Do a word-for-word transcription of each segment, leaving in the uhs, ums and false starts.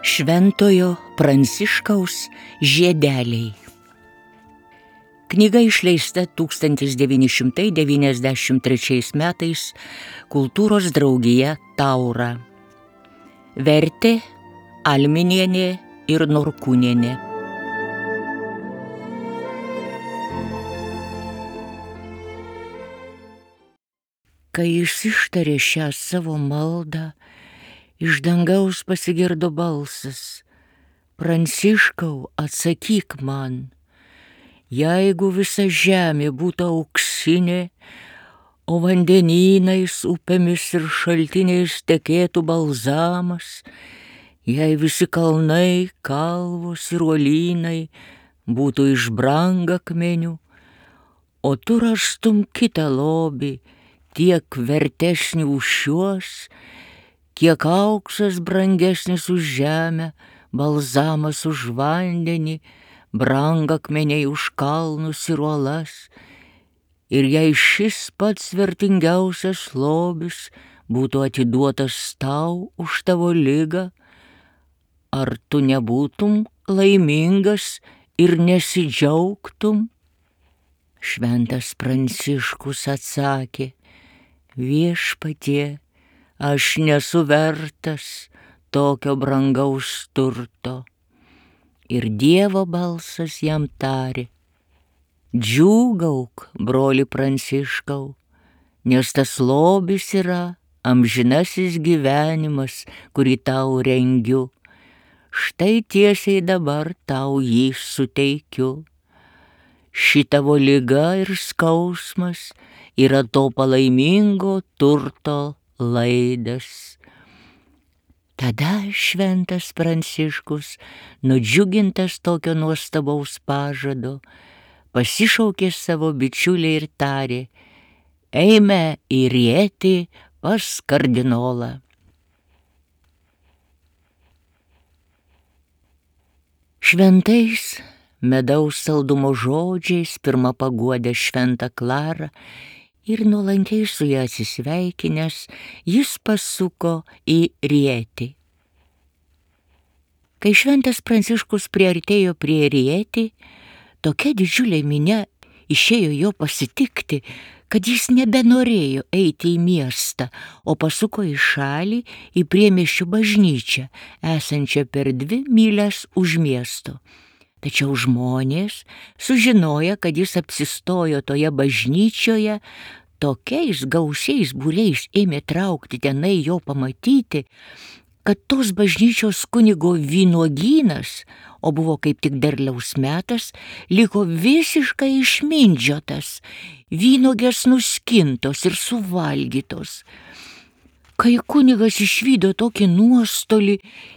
Šventojo Pranciškaus žiedeliai. Knyga išleista tūkstantis devyni šimtai devyniasdešimt trečiais metais Kultūros draugija Taura. Vertė Alminienė ir Norkūnienė. Kai jis ištarė šią savo maldą, iš dangaus pasigirdo balsas: Pranciškau, atsakyk man, jeigu visa žemė būtų auksinė, o vandenynais, upėmis ir šaltiniais tekėtų balzamas, jei visi kalnai, kalvos ir uolynai būtų iš brangakmenių, o tu rastum kitą lobį, tiek vertesnį už šiuos, kiek auksas brangesnis už žemę, balzamas už vandenį, brangakmeniai už kalnus ir uolas, ir jei šis pats vertingiausias lobis būtų atiduotas tau už tavo ligą, ar tu nebūtum laimingas ir nesidžiaugtum? Šventas Pranciškus atsakė: Viešpatie, aš nesu vertas tokio brangaus turto. Ir Dievo balsas jam tarė: Džiūgauk, broli Pranciškau, nes tas lobis yra amžinasis gyvenimas, kurį tau rengiu. Štai tiesiai dabar tau jį suteikiu. Šitavo liga ir skausmas yra to palaimingo turto laidas. Tada šventas Pranciškus, nudžiugintas tokio nuostabaus pažado, pasišaukė savo bičiulį ir tarė: Eime į Rietį pas kardinolą. Šventais medaus saldumo žodžiais pirmą paguodė šventą Klarą ir nuolankiai su ja atsisveikinęs, jis pasuko į Rietį. Kai šventas Pranciškus priartėjo prie Rietį, tokia didžiulė minia išėjo jo pasitikti, kad jis nebenorėjo eiti į miestą, o pasuko į šalį, į priemiesčių bažnyčią, esančią per dvi mylias už miesto. Tačiau žmonės, sužinoję, kad jis apsistojo toje bažnyčioje, tokiais gausiais būriais ėmė traukti tenai jo pamatyti, kad tos bažnyčios kunigo vynuogynas, o buvo kaip tik derliaus metas, liko visiškai išmindžiotas, vynuogės nuskintos ir suvalgytos. Kai kunigas išvydo tokį nuostolį,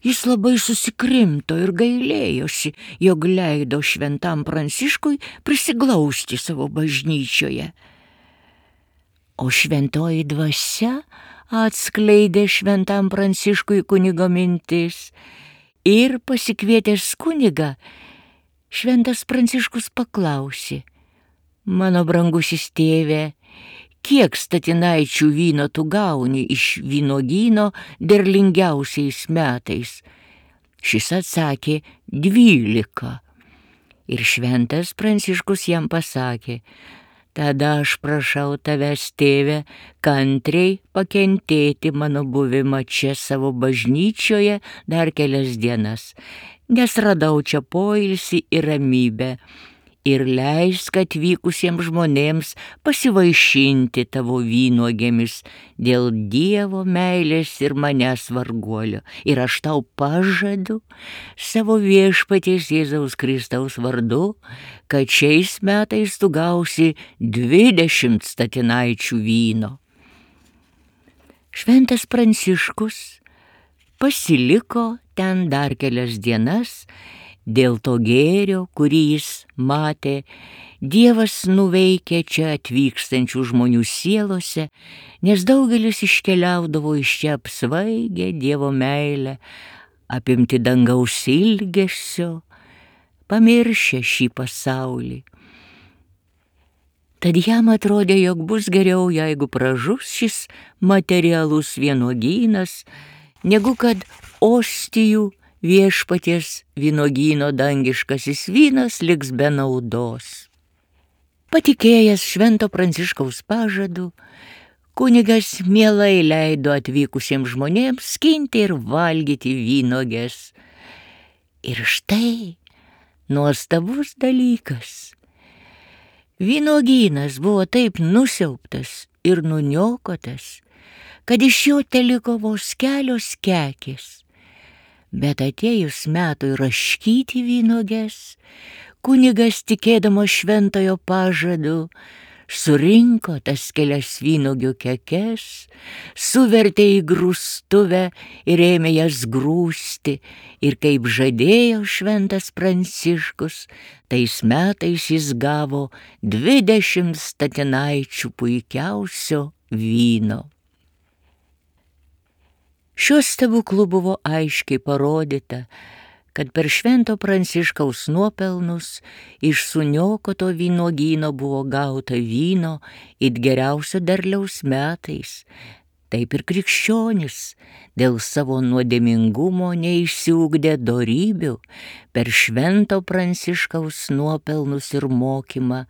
jis labai susikrimto ir gailėjosi, jog leido šventam Pranciškui prisiglausti savo bažnyčioje. O šventoji dvasia atskleidė šventam Pranciškui kunigo mintis ir pasikvietęs kunigą, šventas Pranciškus paklausė: Mano brangusis tėve, kiek statinaičių vyno tu gauni iš vynuogyno derlingiausiais metais? Šis atsakė: dvylika. Ir šventas Pranciškus jam pasakė: Tada aš prašau tavęs, tėve, kantriai pakentėti mano buvimą čia savo bažnyčioje dar kelias dienas, nes radau čia poilsį ir ramybę, ir leisk atvykusiems žmonėms pasivaišinti tavo vynuogėmis dėl Dievo meilės ir manęs varguolio. Ir aš tau pažadu savo viešpaties Jėzaus Kristaus vardu, kad šiais metais tu gausi dvidešimt statinaičių vyno. Šventas Pranciškus pasiliko ten dar kelias dienas. Dėl to gėrio, kurį jis matė, Dievas nuveikė čia atvykstančių žmonių sielose, nes daugelis iškeliaudavo iš čia apsvaigę Dievo meilę, apimti dangaus ilgesio, pamiršę šį pasaulį. Tad jam atrodė, jog bus geriau, jeigu pražus šis materialus vynuogynas, negu kad ostijų viešpaties vynuogyno dangiškasis vynas liks be naudos. Patikėjęs Švento Pranciškaus pažadu, kunigas mielai leido atvykusiems žmonėms skinti ir valgyti vynuoges. Ir štai nuostabus dalykas. Vynuogynas buvo taip nusiaubtas ir nuniokotas, kad iš jo teliko vos kelios kekės. Bet atėjus metui raškyti vynuoges, kunigas, tikėdamas šventojo pažadu, surinko tas kelias vynuogių kekes, suvertė į grūstuvę ir ėmė jas grūsti, ir kaip žadėjo Šventas Pranciškus, tais metais jis gavo dvidešimt statinaičių puikiausio vyno. Šiuo stebuklu buvo aiškiai parodyta, kad per Švento Pranciškaus nuopelnus iš suniokoto vynuogyno buvo gauta vyno it geriausio derliaus metais. Taip ir krikščionis dėl savo nuodėmingumo neišsiugdė dorybių, per Švento Pranciškaus nuopelnus ir mokymą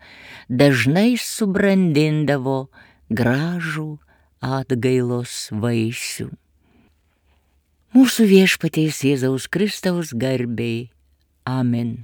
dažnai subrandindavo gražų atgailos vaisių. Mūsų Viešpaties Jėzaus Kristaus garbei. Amen.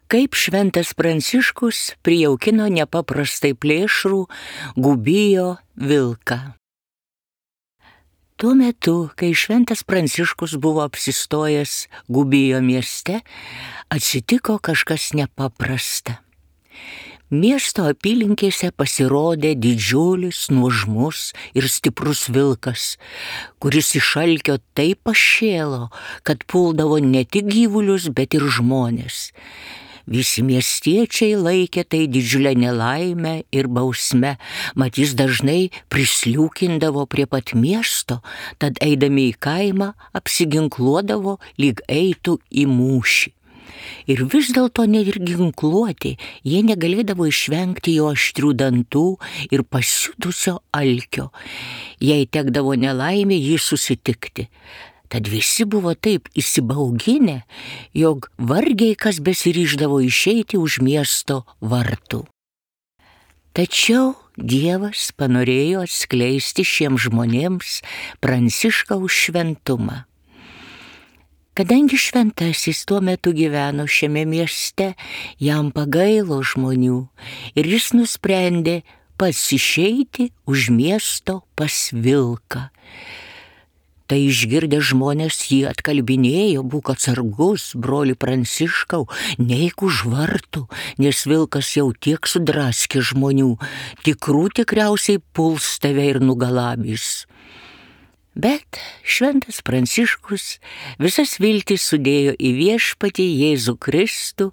Kaip Šventas Pranciškus prijaukino nepaprastai plėšrų Gubijo vilką. Tuo metu, kai Šventas Pranciškus buvo apsistojęs Gubijo mieste, atsitiko kažkas nepaprasta. Miesto apylinkėse pasirodė didžiulis, nuožmus ir stiprus vilkas, kuris iš alkio taip pašėlo, kad puldavo ne tik gyvulius, bet ir žmones. Visi miestiečiai laikė tai didžiulę nelaimę ir bausmę, mat jis dažnai prisliūkindavo prie pat miesto, tad eidami į kaimą apsiginkluodavo, lyg eitų į mūšį. Ir vis dėlto net ir ginkluoti jie negalėdavo išvengti jo aštrių dantų ir pasiutusio alkio. Jei tekdavo nelaimė jį susitikti. Tad visi buvo taip įsibauginę, jog vargiai kas besiryždavo išeiti už miesto vartų. Tačiau Dievas panorėjo atskleisti šiems žmonėms Pranciškaus šventumą. Kadangi šventasis tuo metu gyveno šiame mieste, jam pagailo žmonių ir jis nusprendė pats išeiti už miesto pas vilką. Tai išgirdę žmonės jį atkalbinėjo: būk atsargus, broli Pranciškau, neik už vartų, nes vilkas jau tiek sudraskė žmonių, tikrų tikriausiai puls tave ir nugalabys. Bet Šventas Pranciškus visas viltis sudėjo į Viešpatį Jėzų Kristų,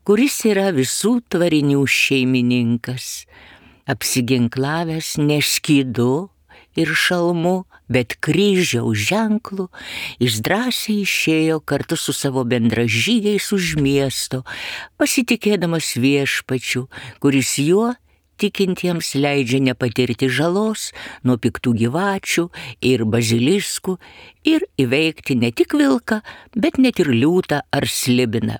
kuris yra visų tvarinių šeimininkas. Apsiginklavęs ne skydu ir šalmu, bet kryžiaus ženklu, jis drąsiai išėjo kartu su savo bendražygiais už miesto, pasitikėdamas Viešpačiu, kuris juo tikintiems leidžia nepatirti žalos nuo piktų gyvačių ir baziliskų ir įveikti ne tik vilką, bet net ir liūtą ar slibiną.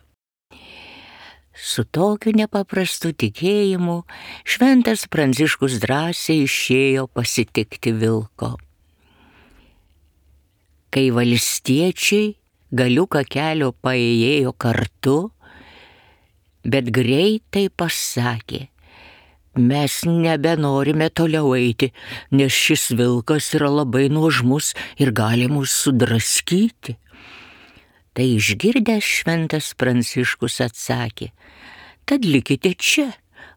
Su tokiu nepaprastu tikėjimu Šventas Pranciškus drąsiai išėjo pasitikti vilko. Kai valstiečiai galiuką kelio paėjėjo kartu, bet greitai pasakė: mes nebenorime toliau eiti, nes šis vilkas yra labai nuožmus ir gali mus sudraskyti. Tai išgirdęs Šventas Pranciškus atsakė: tad likite čia,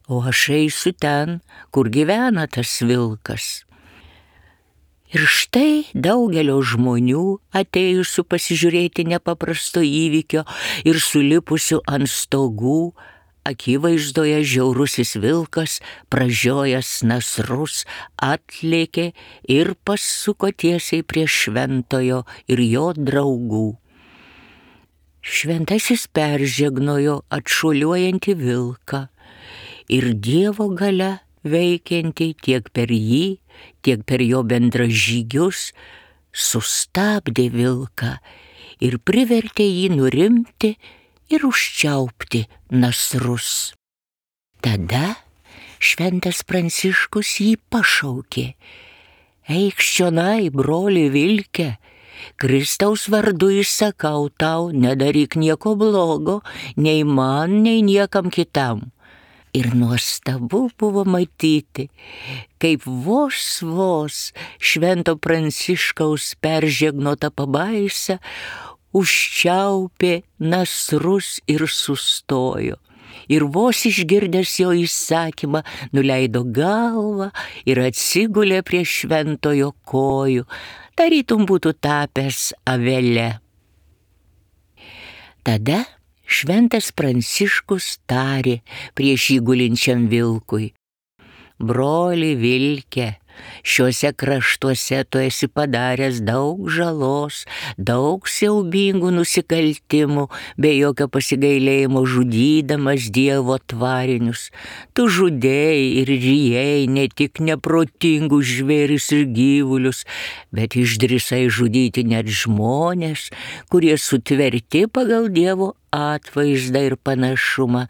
o aš eisiu ten, kur gyvena tas vilkas. Ir štai daugelio žmonių, atėjusių pasižiūrėti nepaprasto įvykio ir sulipusių ant stogų, akivaizdoje žiaurusis vilkas, pražiojęs nasrus, atlėkė ir pasuko tiesiai prie šventojo ir jo draugų. Šventasis peržegnojo atšuoliuojantį vilką ir Dievo galia veikiantį tiek per jį, tiek per jo bendražygius, sustabdė vilką ir privertė jį nurimti ir užčiaupti nasrus. Tada šventas Pranciškus jį pašaukė: eikš čionai, broli vilke, Kristaus vardu įsakau tau, nedaryk nieko blogo, nei man, nei niekam kitam. Ir nuostabu buvo matyti, kaip vos vos švento Pranciškaus peržegnota pabaisa užčiaupė nasrus ir sustojo. Ir vos išgirdęs jo įsakymą, nuleido galvą ir atsigulė prie šventojo kojų, tarytum būtų tapęs avele. Tada šventas Pranciškus tarė prieš jį gulinčiam vilkui: broli vilke, šiuose kraštuose tu esi padaręs daug žalos, daug siaubingų nusikaltimų, be jokio pasigailėjimo žudydamas Dievo tvarinius. Tu žudėjai ir rijai ne tik neprotingus žvėris ir gyvulius, bet išdrįsai žudyti net žmonės, kurie sutverti pagal Dievo atvaizdą ir panašumą.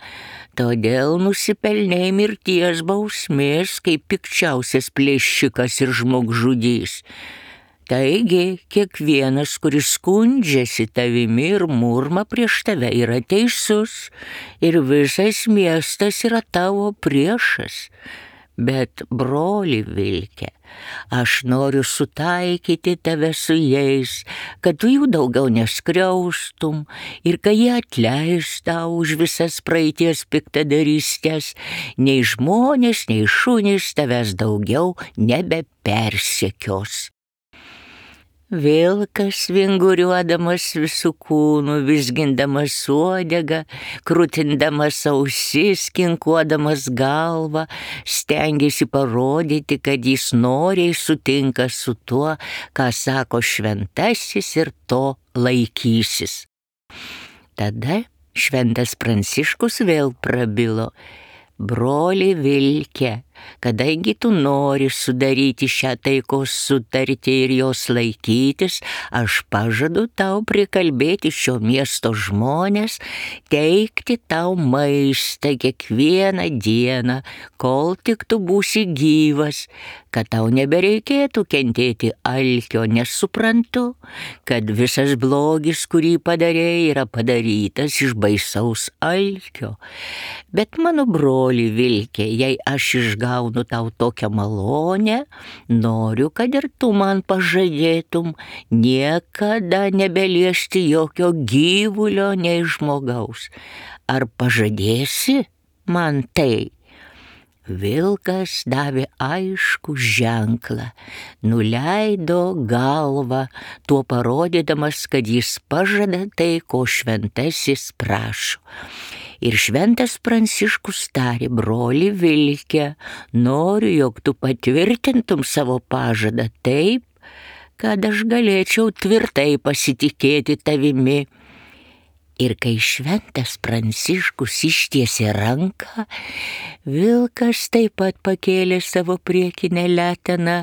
Todėl nusipelnei mirties bausmės kaip pikčiausias plėšikas ir žmogžudys. Taigi, kiekvienas, kuris skundžiasi tavimi ir murma prieš tave, yra teisus ir visas miestas yra tavo priešas. Bet, broli vilke, aš noriu sutaikyti tave su jais, kad tu jų daugiau neskriaustum ir kad jie atleis tau už visas praeities piktadarystės, nei žmonės, nei šunys tavęs daugiau nebepersekios. Vilkas, vinguriuodamas visų kūnų, vizgindamas uodegą, krutindamas ausis, kinkuodamas galvą, stengėsi parodyti, kad jis noriai sutinka su tuo, ką sako šventasis, ir to laikysis. Tada šventas Pranciškus vėl prabilo: broli vilke, kadangi tu nori sudaryti šią taikos sutartį ir jos laikytis, aš pažadu tau prikalbėti šio miesto žmonės, teikti tau maistą kiekvieną dieną, kol tik tu būsi gyvas, kad tau nebereikėtų kentėti alkio, nes suprantu, kad visas blogis, kurį padarei, yra padarytas iš baisaus alkio. Bet mano broli vilke, jei aš išgaunu tau tokią malonę, noriu, kad ir tu man pažadėtum niekada nebeliesti jokio gyvulio nei žmogaus. Ar pažadėsi man tai? Vilkas davė aiškų ženklą, nuleido galvą, tuo parodydamas, kad jis pažada tai, ko šventasis prašo. Ir šventas Pranciškus tarė: broli vilke, noriu, jog tu patvirtintum savo pažadą taip, kad aš galėčiau tvirtai pasitikėti tavimi. Ir kai šventas Pranciškus ištiesė ranką, vilkas taip pat pakėlė savo priekinę leteną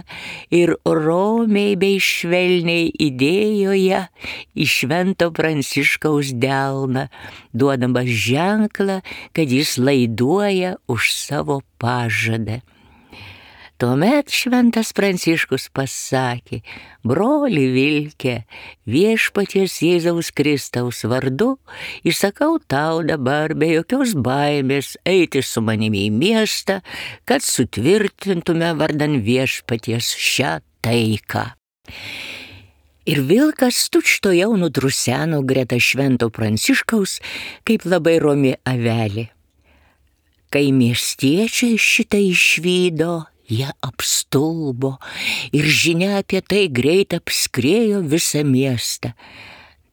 ir romiai bei švelniai įdėjo ją į švento Pranciškaus delną, duodamas ženklą, kad jis laiduoja už savo pažadą. Tuomet šventas Pranciškus pasakė: broli vilke, viešpaties Jėzaus Kristaus vardu įsakau tau dabar be jokios baimės eiti su manimi į miestą, kad sutvirtintume vardan viešpaties šią taiką. Ir vilkas tučtuojau nudruseno greta švento Pranciškaus kaip labai romi avelė. Kai miestiečiai šitą išvydo, jie apstulbo ir žinia apie tai greit apskriejo visą miestą.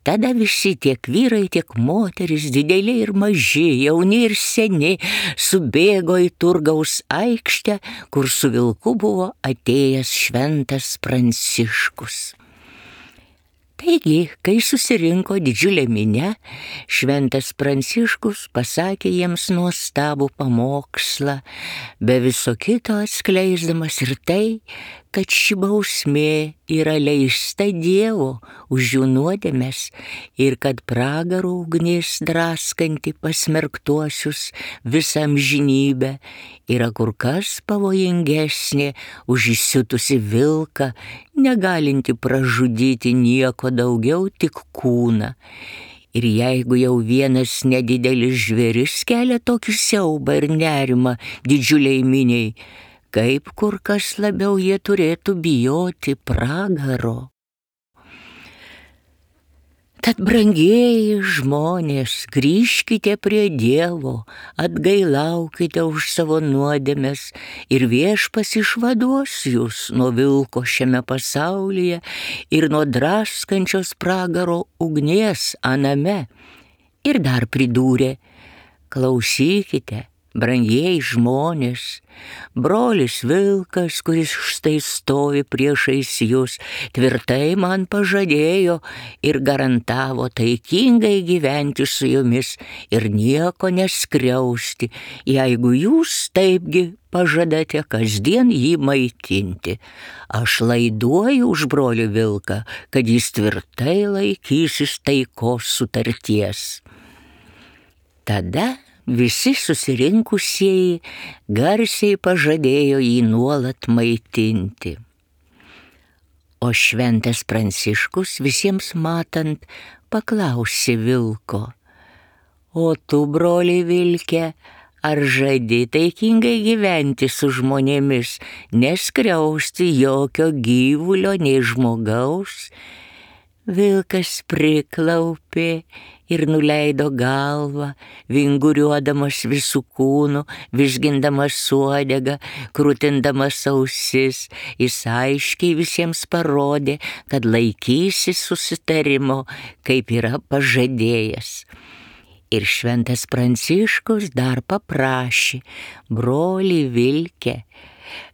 Tada visi, tiek vyrai, tiek moteris, dideliai ir maži, jauni ir seni, subėgo į turgaus aikštę, kur su vilku buvo atėjęs šventas Pranciškus. Taigi, kai susirinko didžiulė minia, šventas Pranciškus pasakė jiems nuostabų pamokslą, be viso kito atskleisdamas ir tai, kad ši bausmė yra leista Dievo už jų nuodėmes ir kad pragaro ugnis draskanti pasmerktuosius visą amžinybę yra kur kas pavojingesnė už įsiutusį vilką, negalinti pražudyti nieko daugiau, tik kūną. Ir jeigu jau vienas nedidelis žvėris kelia tokį siaubą ir nerimą didžiuliai miniai, kaip kur kas labiau jie turėtų bijoti pragaro. Tad, brangieji žmonės, grįžkite prie Dievo, atgailaukite už savo nuodėmes ir Viešpats išvaduos jūs nuo vilko šiame pasaulyje ir nuo draskančios pragaro ugnies aname. Ir dar pridūrė: klausykite, brangieji žmonės, brolis vilkas, kuris štai stovi priešais jūs, tvirtai man pažadėjo ir garantavo taikingai gyventi su jumis ir nieko neskriausti, jeigu jūs taipgi pažadate kasdien jį maitinti. Aš laiduoju už brolį vilką, kad jis tvirtai laikysis taikos sutarties. Tada visi susirinkusieji garsiai pažadėjo jį nuolat maitinti. O šventas Pranciškus visiems matant paklausė vilko: o tu, broli vilke, ar žadi taikingai gyventi su žmonėmis, neskriausti jokio gyvulio nei žmogaus? Vilkas priklaupė ir nuleido galvą, vinguriuodamas visų kūnų, vizgindamas uodegą, krūtindamas ausis. Jis aiškiai visiems parodė, kad laikysis susitarimo, kaip yra pažadėjęs. Ir šventas Pranciškus dar paprašė: broli vilke,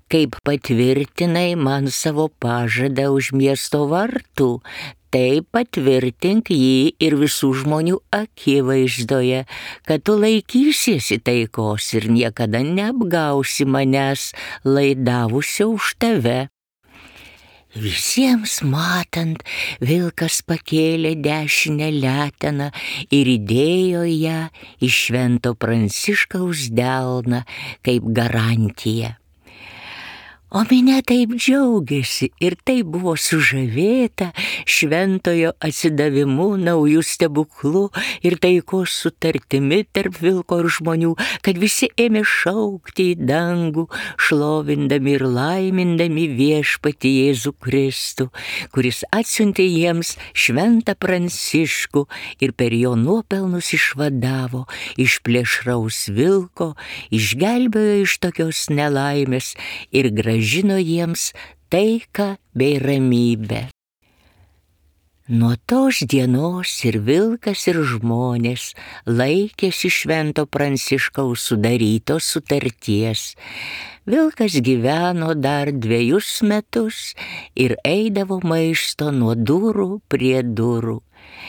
kaip patvirtinai man savo pažadą už miesto vartų, tai patvirtink jį ir visų žmonių akivaizdoje, kad tu laikysiesi taikos ir niekada neapgausi manęs laidavusio už tave. Visiems matant, vilkas pakėlė dešinę leteną ir įdėjo ją į švento Pranciškaus delną kaip garantiją. O minia taip džiaugiasi ir taip buvo sužavėta šventojo atsidavimu, naujų stebuklų ir taikos sutartimi tarp vilko ir žmonių, kad visi ėmė šaukti į dangų, šlovindami ir laimindami Viešpatį Jėzų Kristų, kuris atsiuntė jiems šventą Pranciškų ir per jo nuopelnus išvadavo iš plėšraus vilko, išgelbėjo iš tokios nelaimės ir gražiai žino jiems taiką bei ramybę. Nuo tos dienos ir vilkas ir žmonės laikėsi švento Pranciškaus sudarytos sutarties. Vilkas gyveno dar dviejus metus ir eidavo maisto nuo durų prie durų.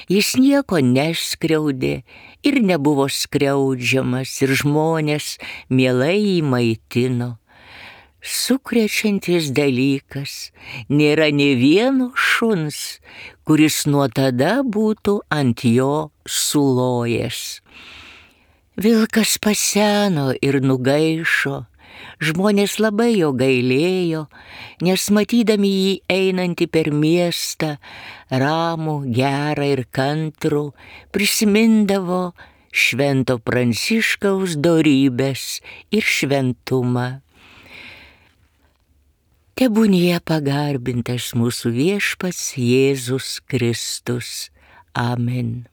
Jis nieko neskriaudė ir nebuvo skriaudžiamas ir žmonės mielai jį maitino. Sukrečiantis dalykas, nėra nė vieno šuns, kuris nuo tada būtų ant jo sulojęs. Vilkas paseno ir nugaišo, žmonės labai jo gailėjo, nes matydami jį einantį per miestą, ramų, gerą ir kantrų, prisimindavo švento Pranciškaus dorybes ir šventumą. Tebūnie pagarbintas mūsų Viešpats Jėzus Kristus. Amen.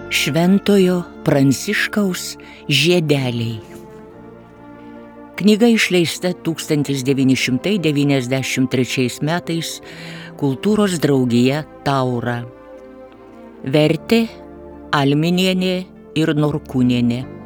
Šventojo Pranciškaus žiedeliai. Knyga išleista tūkstantis devyni šimtai devyniasdešimt trečiais metais Kultūros draugija Taura. Vertė Alminienė ir Norkūnienė.